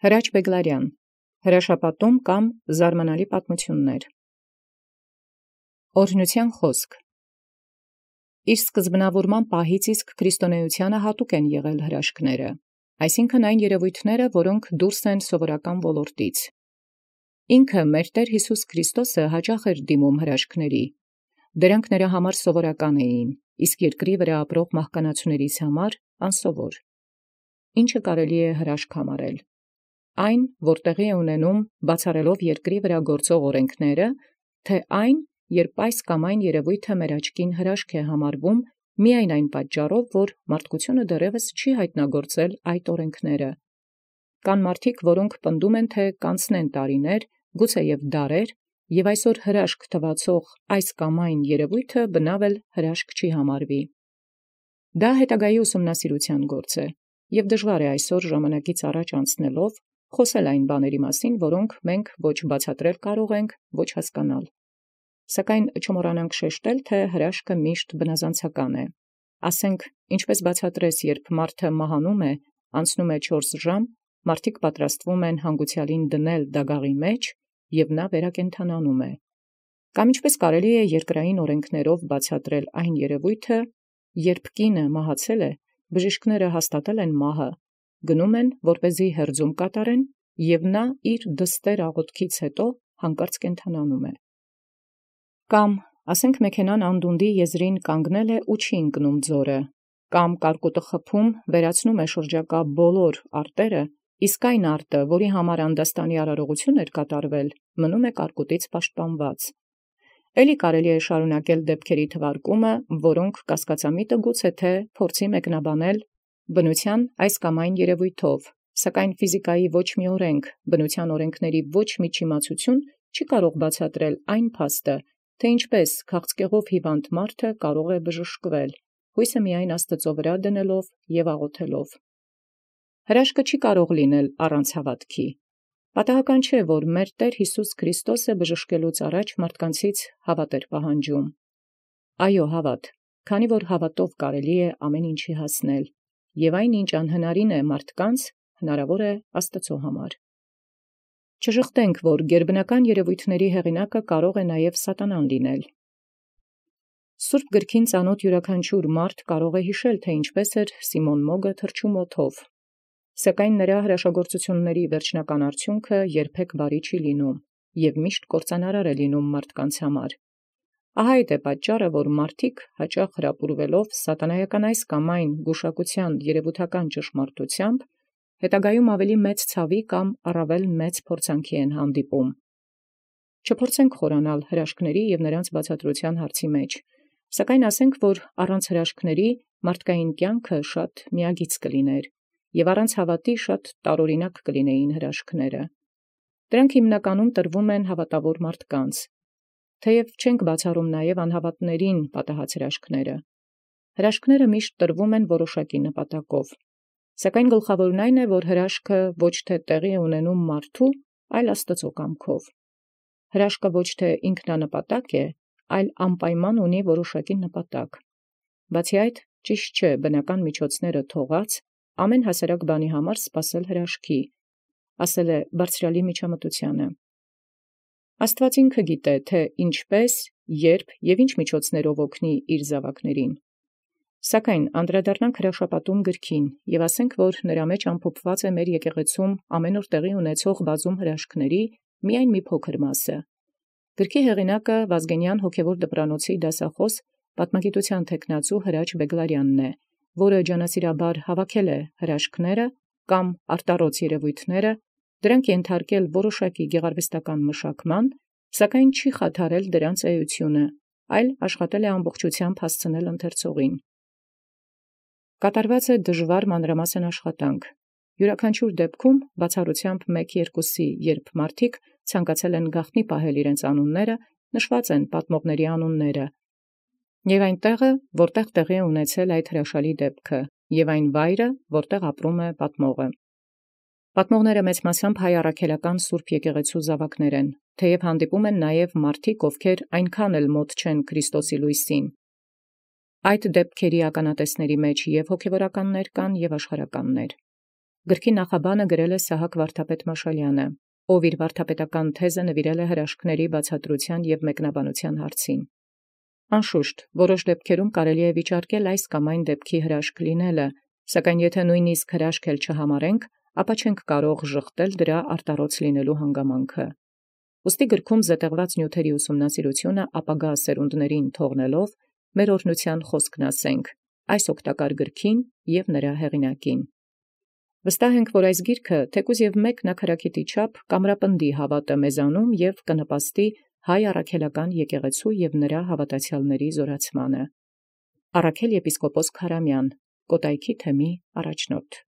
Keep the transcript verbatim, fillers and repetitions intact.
Հրաչ Բեգլարյան հրաշապատում կամ զարմանալի պատմություններ։ Օրհնութեան խոսք։ Իր սկզբնավորման պահից իսկ քրիստոնեությանը հատուկ են եղել հրաշքները, այսինքն այն երևույթները, որոնք դուրս են սովորական ոլորտից։ Ինքը մեր Տէր Յիսուս Քրիստոսը հաճախ էր դիմում հրաշքների, դրանք նրա համար սովորական էին, իսկ երկրի վրա ապրող մահկանացուներիս համար անսովոր։ Ինչը կարելի է հրաշք համարել։ Այն, որ տեղի է ունենում բացառելով երկրի վրա գործող օրենքները, թե այն, երբ այս կամ այն երևույթը մեր աչքին հրաշք է համարվում, միայն այն պատճառով, որ մարդկությունը դեռևս չի հայտնագործել այդ օրենքները։ Կան մարդիկ, որոնք պնդում են, թե կանցնեն տարիներ, գուցեև դարեր, եւ այսօր հրաշք թվացող այս կամ այն երևույթը բնավ էլ հրաշք չի համարվի։ Դա հետագայի ուսումնասիրության գործ է, եւ դժվար է այսօր ժամանակից առաջ անցնելով խոսել այն բաների մասին, որոնք մենք ոչ բացատրել կարող ենք, ոչ հասկանալ։ Սակայն չմոռանանք շեշտել, թե հրաշքը միշտ բնազանցական է։ Ասենք, ինչպես բացատրես, երբ մարդը մահանում է, անցնում է չորս ժամ, մարդիկ պատրաստվում են հանգուցյալին դնել դագաղի մեջ, եւ նա վերակենդանանում է։ Կամ ինչպես կարելի է երկրային օրենքներով բացատրել այն երևույթը, երբ կինը մահացել է, բժիշկները հաստատել են մահը, գնում են, որպեսզի հերձում կատարեն, եւ նա իր դստեր աղոթքից հետո հանկարծ կենդանանում է։ Կամ ասենք մեքենան անդունդի եզրին կանգնել է ու չի ընկնում ձորը, կամ կարկուտը խփում վերացնում է շրջակա բոլոր արտերը, իսկ այն արտը, որի համար անդաստանի արարողություն էր կատարվել, մնում է կարկուտից պաշտպանված։ Էլի կարելի է շարունակել դեպքերի թվարկումը, որոնք կասկածամիտը գուցե թե փորձի մեկնաբանել բնության այս կամ այն երևույթով, սակայն ֆիզիկայի ոչ մի օրենք, բնության օրենքների ոչ մի չիմացություն չի կարող բացատրել այն փաստը, թե ինչպես քաղցկեղով հիվանդ մարդը կարող է բժշկվել, հույսը միայն Աստծո վրա դնելով եւ աղոթելով։ Հրաշքը չի կարող լինել առանց հավատքի։ Պատահական չէ, որ մեր Տեր Յիսուս Քրիստոսը բժշկելուց առաջ մարդկանցից հավատ էր պահանջում։ Այո, հավատ, քանի որ հավատով կարելի է ամեն ինչի հասնել, եւ այն ինչ անհնարին է մարդկանց, հնարավոր է Աստծո համար։ Չժխտենք, որ գերբնական երևույթների հեղինակը կարող է նաև սատանան լինել։ Սուրբ գրքին ծանոթ յուրաքանչյուր մարդ կարող է հիշել, թե ինչպես էր Սիմոն Մոգը թռչում օդով, սակայն նրա հրաշագործությունների վերջնական արդյունքը երբեք բարի չի լինում եւ միշտ կործանարար է լինում մարդկանց համար։ Ահա այդ է պատճառը, որ մարդիկ հաճախ հրապուրվելով սատանայական այս կամ այն գուշակության երևութական ճշմարտությամբ, հետագայում ավելի մեծ ցավի կամ առավել մեծ փորձանքի են հանդիպում։ Չփորձենք խորանալ հրաշքների եւ նրանց բացատրության հարցի մեջ, սակայն ասենք, որ առանց հրաշքների մարդկային կյանքը շատ միագիծ կլիներ, եւ առանց հավատի շատ տարօրինակ կլինեին հրաշքները։ Դրանք հիմնականում տրվում են հավատավոր մարդկանց, թեև չենք բացառում նաև անհավատներին պատահած հրաշքները։ Հրաշքները միշտ տրվում են որոշակի նպատակով, սակայն գլխավորն այն է, որ հրաշքը ոչ թե տեղի է ունենում մարդու, այլ Աստծո կամքով։ Հրաշքը ոչ թե ինքնանպատակ է, այլ անպայման ունի որոշակի նպատակ։ Բացի այդ, ճիշտ չէ բնական միջոցները թողած ամեն հասարակ բանի համար սպասել հրաշքի, ասել է բարձրալի միջամտությանը։ Աստված ինքը գիտե, թե ինչպես, երբ եւ ինչ միջոցներով օգնի իր զավակներին։ Սակայն անդրադառնանք հրաշապատում գրքին եւ ասենք, որ նրա մեջ ամփոփված է մեր եկեղեցում ամեն օր տեղի ունեցող բազում հրաշքների միայն մի փոքր մասը։ Գրքի հեղինակը Վազգենյան հոգևոր դպրանոցի դասախոս պատմագիտության թեկնածու Հրաչ Բեգլարյանն է, որը ջանասիրաբար հավաքել է հրաշքները կամ արտառոց երևույթները, դրանք ենթարկել որոշակի գեղարվեստական մշակման, սակայն չի խաթարել դրանց էությունը, այլ աշխատել է ամբողջությամբ հասցնել ընթերցողին։ Կատարված է դժվար մանրամասն աշխատանք։ Յուրաքանչյուր դեպքում բացառությամբ մեկ-երկուսի, երբ մարդիկ ցանկացել են գաղտնի պահել իրենց անունները, նշված են պատմողների անունները, եւ այն տեղը, որտեղ տեղի է ունեցել այդ հրաշալի դեպքը, եւ այն վայրը, որտեղ ապրում է պատմողը։ Պատմողները մեծ մասամբ հայ առաքելական Սուրբ եկեղեցու զավակներ են, թեև հանդիպում են նաև մարդիկ, ովքեր այնքան էլ մոտ չեն Քրիստոսի լույսին։ Այդ դեպքերի ականատեսների մեջ եւ հոգևորականներ կան եւ աշխարհականներ։ Գրքի նախաբանը գրել է Սահակ վարդապետ Մաշալյանը, ով իր վարդապետական թեզը նվիրել է հրաշքների բացատրության և մեկնաբանության հարցին։ Անշուշտ, որոշ դեպքերում կարելի է վիճարկել այս կամ այն դեպքի հրաշք լինելը, սակայն եթե նույնիսկ հրաշք էլ չհամարենք, ապա չենք կարող ժխտել դրա արտառոց լինելու հանգամանքը։ Ուստի գրքում զետեղված նյութերի ուսումնասիրությունը ապագա սերունդներին թողնելով, մեր օրհնության խոսքն ասենք այս օգտակար գրքին և նրա հեղինակին։ Վստահ ենք, որ այս գիրքը թեկուզ և մեկ նաքարակիտի չափ կամրապնդի հավատը մեզանում և կնպաստի հայ առաքելական եկեղեցու և նրա հավատացյալների զորացմանը։ Առաքել եպիսկոպոս Քարամյան, Կոտայքի թեմի առաջնորդ։